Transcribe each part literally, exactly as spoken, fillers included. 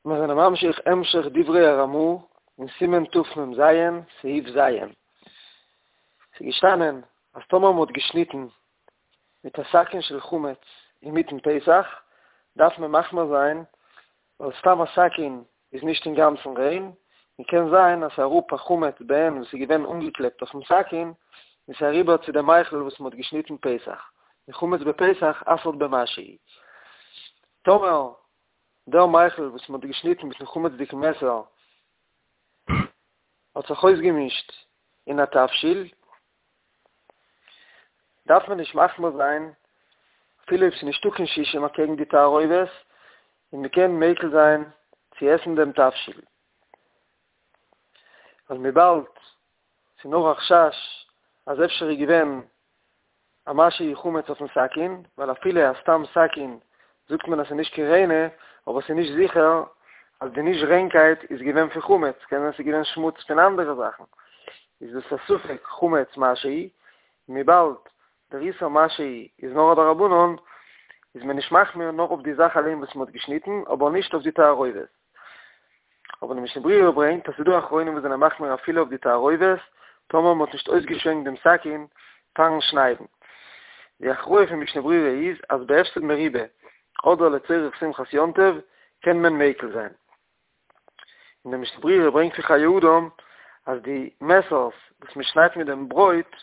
מיר זענען ממשיך המשך דברי הרמ"א אין סימן תמ"ז, סעיף ז'. ס'איז געשטאנען אז טאמער מ'האט געשניטן מיט א סכין של חמץ אינמיטן פסח, דארף מען מחמיר זיין, ווייל סתם א סכין איז נישט אינגאנצן ריין, און קען זיין אז ס'איז אראפ א חמץ בעין וואס איז געווען אנגעקלעבט אויפן סכין, און ס'איז אריבער צו דעם מיכל וואס מ'האט געשניטן פסח, און חמץ בפסח אסר'ט במשהו. טאמער דער מיכל וואס מ'האט געשניטן מיטן חמצ'דיגן מעסער האט זיך אויסגעמישט אין א תבשיל, דארף מען נישט מחמיר זיין אפילו אויב ס'איז נישטא קיין שישים אקעגן די תערובת, און מ'קען מיקל זיין צו עסן דעם תבשיל. ווייל וויבאלד ס'איז נאר א חשש אז אפשר איז געווען א משהו חמץ אויפן סכין, ווייל אפילו א סתם סכין זאגט מען אז ס'איז נישט קיין ריינע, אבער ס'איז נישט זיכער אז די נישט ריינקייט איז געווען פון חמץ, קען זיין ס'איז געווען שמוץ פון אנדערע זאכן, איז דאס א ספק חמץ משהו, און וויבאלד דער איסור משהו איז נאר א דרבנן, איז מען נישט מחמיר נאר אויף די זאך אליין וואס מ'האט געשניטן, אבער נישט אויף די תערובת. אבער די משנה ברורה ברענגט אז ס'איז דא אחרונים וואס זענען מחמיר אפילו אויף די תערובת, טאמער מ'האט נישט אויסגעשווענקט דעם סכין פארן שניידן. די הכרעה פון משנה ברורה איז אז בהפסד מרובה אדער לצורך שמחת יום טוב קען מען מיקל זיין. און די משנה ברורה ברענגט פון חיי אדם אז די מעסערס וואס מען שניידט מיט דעם ברויט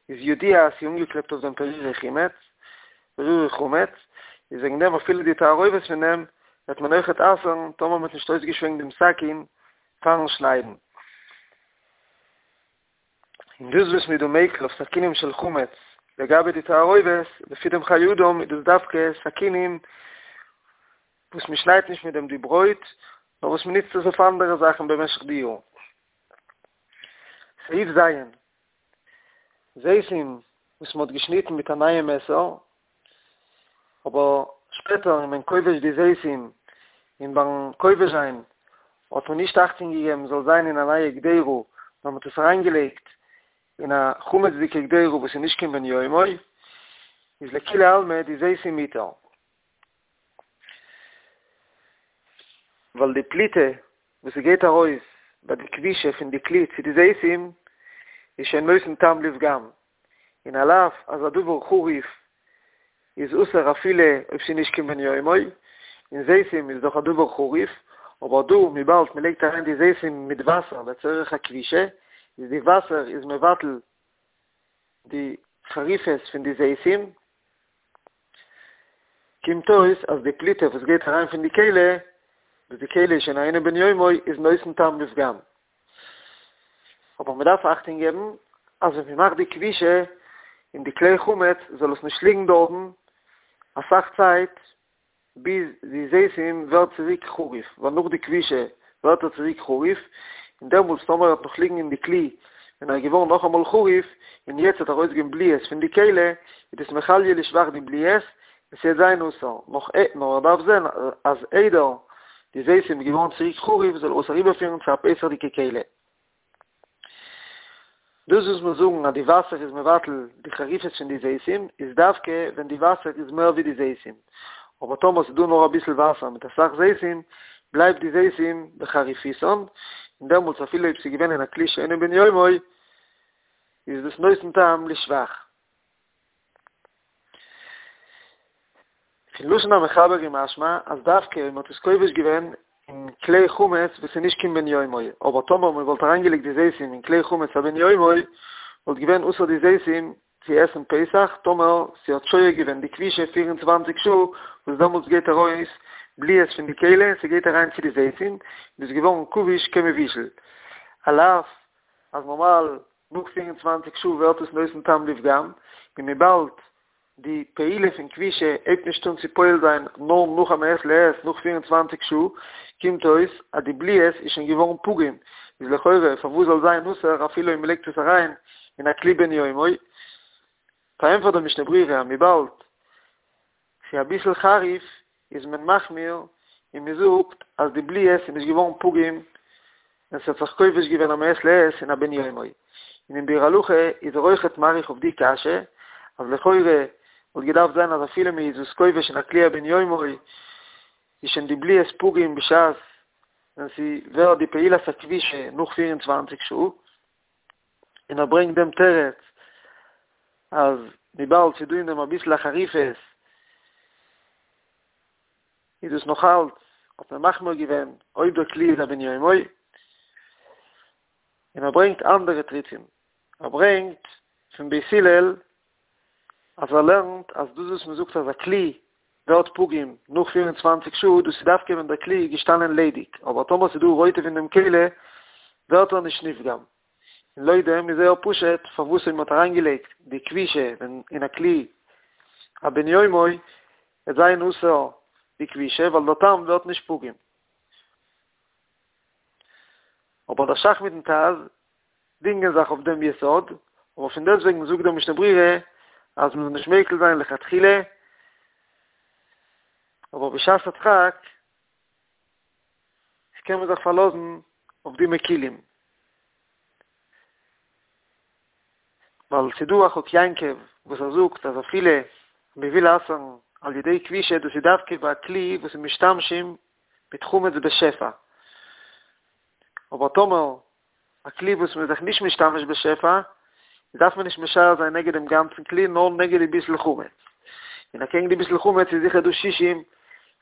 איז ידוע אז ס'איז אנגעקלעבט אויף דעם פירורי חימוץ, פירורי חמץ, איז וועגן דעם אפילו די תערובת פון דעם וועט מען אויכעט אסר'ן טאמער מ'האט נישט אויסגעשווענקט דעם סכין פאר'ן שניידן. און דאס וואס מ'איז דא מיקל אויף סכינים של חמץ לגבי די תערובת, לפי דעם חיי אדם איז דאס דווקא סכינים וואס מ'שניידט נישט מיט דעם די ברויט, נאר וואס מ'נוצט עס אויף אנדערע זאכן במשך די יאר. סעיף ז', זיתים וואס מ'האט געשניטן מיט א נייע מעסער, אבער שפעטער איז מען כובש די זיתים, און ביים כובש זיין האט מען נישט אכטונג געגעבן זאל זיין אין א נייע קדירה, נאר מ'האט עס אריינגעלייגט אין א חמצ'דיגע קדירה וואס איז נישט קיין בן יומו, איז לכולי עלמא די זיתים מותר. ווייל די פליטה וואס ס'גייט ארויס ביי די כבישה פון די כלי צו די זיתים איז שוין נותן טעם לפגם, און על אף אז א דבר חריף איז אסור אפילו אויב ס'איז נישט קיין בן יומו, און זיתים איז דאך א דבר חריף, אבער דא וויבאלד מ'לייגט אריין די זיתים מיט וואסער לצורך הכבישה, איז די וואסער איז מבטל די חריפות פון די זיתים, קומט אויס אז די פליטה וואס גייט אריין פון די כלי, וואס די כלי איז שוין אינו בן יומו, איז נותן טעם לפגם. אבער מען דארף אכטונג געבן אז ווען מען מאכט די כבישה אין די כלי חמץ זאל עס נישט ליגן דארטן אסאך צייט ביז די זיתים ווערט צוריק חריף, ווייל נאך די כבישה ווערט ער צוריק חריף, און דעמאלטס טאמער ער וועט נאך ליגן אין די כלי ווען ער איז געווארן נאכאמאל חריף, און יעצט וועט ארויסגיין בליעות פון די כלי, איז דאס מכליא לשבח די בליעות, און ס'וועט זיין אסור, נאך נאר ער דארף זען אז איידער די זיתים איז געווארן צוריק חריף זאל ער עס אריבערפירן צו א פסח'דיגע כלי. דאס וואס מיר זאגן אז די וואסער איז מבטל די חריפות פון די זיתים איז דווקא ווען די וואסער איז מער ווי די זיתים, אבער טאמער ס'איז דא נאר אביסל וואסער מיט אסאך זיתים בלייבט די זיתים בחריפותן, און דעמאלטס אפילו אויב ס'איז געווען אין א כלי שאינו בן יומו איז דאס נותן טעם לשבח. פון לשון המחבר איז משמע אז דווקא אויב מ'האט עס כובש געווען אין כלי חמץ וואס איז נישט קיין בן יומו, אבער טאמער מ'וואלט אריינגעלייגט די זיתים אין כלי חמץ א בן יומו, וואלט געווען אסור די זיתים צו עסן פסח טאמער ס'האט שוהה געווען די כבישה פֿיר און צוואַנציק שעה וואס דעמאלטס גייט ארויס בליעות פון די כלי און ס'גייט אריין צו די זיתים און איז געווארן כבוש כמבושל על אף אז נארמאל נאך פֿיר און צוואַנציק שעה ווערט עס נותן טעם לפגם און וויבאלד די פעולה פון כבישה הייבט נישט אן צו פועל זיין נאר נאך א מעת לעת נאך פֿיר און צוואַנציק שעה, קומט אויס אז די בליעות איז שוין געווארן פגום, איז לכאורה פארוואס זאל זיין אסור אפילו אויב מ'לייגט עס אריין אין א כלי בן יומו? פארענטפערט די משנה ברורה אז וויבאלד ס'איז אביסל חריף איז מען מחמיר און מען זאגט אז די בליעות איז נישט געווארן פגום ווען ס'האט זיך כובש געווען א מעת לעת אין א בן יומו. און אין ביאור הלכה איז ער אויכעט מאריך אויף די קשיא אז לכאורה וואלט געדארפט זיין אז אפילו מען איז עס כובש אין א כלי א בן יומו איז שוין די בליעות פגום בשעת ווען ס'ווערט די פעולת הכבישה נאך פֿיר און צוואַנציק שעה, און ער ברענגט דעם תירוץ אז וויבאלד ס'איז דא אין דעם אביסל א חריפות איז דאס נאך אלץ האט מען מחמיר געווען אויב דער כלי איז א בן יומו, און ער ברענגט אנדערע תירוצים, ער ברענגט פון בית הלל אז ער לערנט אז דאס וואס מען זאגט אז א כלי ווערט פגום נאך פֿיר און צוואַנציק שעה, דאס איז דווקא ווען דער כלי איז געשטאנען ליידיג, אבער טאמער ס'איז דא רוטב אין דעם כלי ווערט ער נישט נפגם. און לויט דעם איז זייער פשוט פארוואס אויב מען האט אריינגעלייגט די כבישה ווען אין א כלי א בן יומו וועט זיין אסור די כבישה ווייל דער טעם ווערט נישט פגום. אבער דער ש"ך מיטן ט"ז דינגען זיך אויף דעם יסוד, אבער פון דעסטוועגן זאגט דער משנה ברורה אז מען זאל נישט מיקל זיין לכתחילה, אבער בשעת הדחק קען מען זיך פארלאזן אויף די מקילים. ווייל ס'איז דא א חק יעקב וואס ער זאגט אז אפילו מען וויל אסר'ן על ידי כבישה דאס איז דווקא ביי א כלי וואס איז משתמשים מיט חמץ בשפע, אבער טאמער א כלי וואס מען איז זיך נישט משתמש בשפע דארף מען נישט משער זיין נגד דעם גאנצן כלי נאר נגד די ביסל חמץ, און אקעגן די ביסל חמץ איז זיכער דא שישים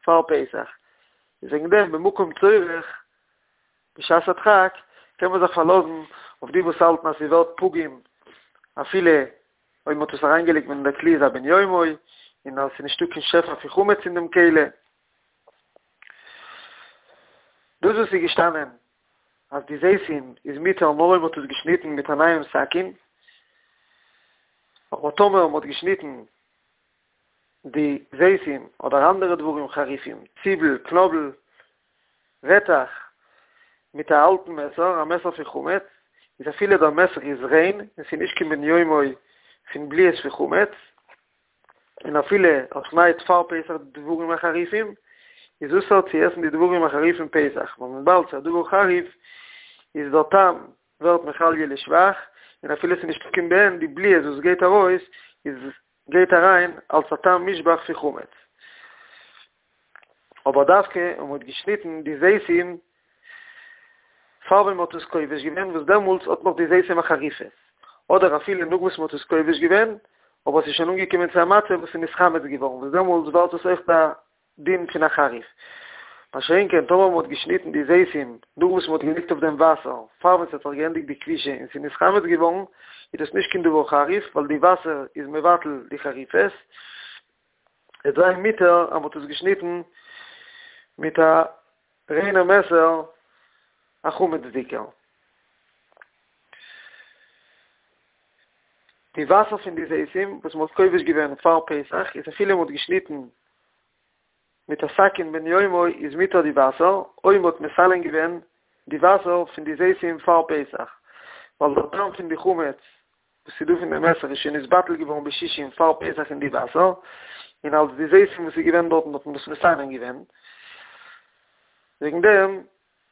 פאר פסח, איז וועגן דעם במקום צורך בשעת הדחק קען מען זיך פארלאזן אויף די וואס האלטן אז ס'ווערט פגום אפילו אויב מ'האט עס אריינגעלייגט ווען דער כלי איז א בן יומו און אז ס'איז נישטא קיין שפע פון חמץ אין דעם כלי. דאס וואס איז געשטאנען אז די זיתים איז מותר נאר אויב מ'האט עס געשניטן מיט א נייעם סכין, אבער טאמער מ'האט געשניטן די זיתים אדער אנדערע דברים חריפים, ציבל, קנאבל, רעטעך, מיט א אלטן מעסער, א מעסער פון חמץ, איז אפילו דער מעסער איז ריין און ס'איז נישט קיין בן יומו פון בליעות פון חמץ, און אפילו ער שניידט פאר פסח די דברים החריפים, איז אסור צו עסן די דברים החריפים פסח, ווייל וויבאלד ס'איז א דבר חריף, איז דער טעם ווערט מחליא לשבח, און אפילו ס'איז נישטא קיין בעין, די בליעות וואס גייט ארויס איז גייט אריין אלס א טעם מושבח פון חמץ. אבער דווקא אויב מ'האט געשניטן די זיתים פאר ווען מ'האט עס כובש געווען, וואס דעמאלטס האט נאך די זיתים א חריפות, אדער אפילו נאך וואס מ'האט עס כובש געווען, אבער עס איז שוין אנגעקומען צו א מצב וואס איז נתחמץ געווארן, וואס דעמאלטס ווערט עס אויך א דין פון א חריף. מה שאין כן טאמער מ'האט געשניטן די זיתים נאך וואס מ'האט געלייגט אויף דעם וואסער פאר ווען ס'האט זיך געענדיגט די כבישה און ס'איז נתחמץ געווארן, איז דאס נישט קיין דבר חריף ווייל די וואסער איז מבטל די חריפות, וועט זיין מותר אז מ'האט עס געשניטן מיט א ריינער מעסער א חמצ'דיגער. די וואסער פון די זיתים וואס מ'האט כובש געווען פאר פסח איז אפילו מ'האט געשניטן מיט א סכין בן יומו איז מותר די וואסער, אויב מ'האט מסנן געווען די וואסער פון די זיתים פאר פסח, ווייל דער טעם פון די חמץ וואס איז דא פון די מעסער איז שוין נתבטל געווארן בשישים פאר פסח אין די וואסער, און אלס די זיתים וואס איז געווען דארטן האט מען דאס מסנן געווען, וועגן דעם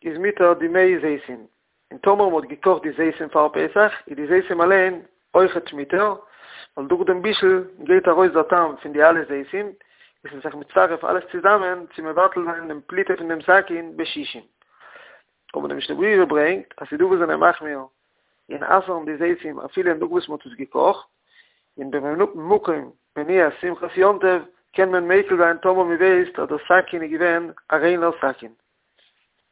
איז מותר די מי זיתים. און טאמער מ'האט געקאכט די זיתים פאר פסח, איז די זיתים אליין אויכעט מותר, ווייל דורך דעם בישול גייט ארויס דער טעם פון די אלע זיתים, איז עס זיך מצטרף אלעס צוזאמען צו מבטל זיין דעם פליטה פון דעם סכין בשישים. אבער די משנה ברורה ברענגט אז ס'דא וואס זענען מחמיר און אסר'ן די זיתים אפילו נאך וואס מ'האט עס געקאכט, און במקום מניעת שמחת יום טוב קען מען מיקל זיין טאמער מ'ווייסט אז דער סכין איז געווען א ריינער סכין.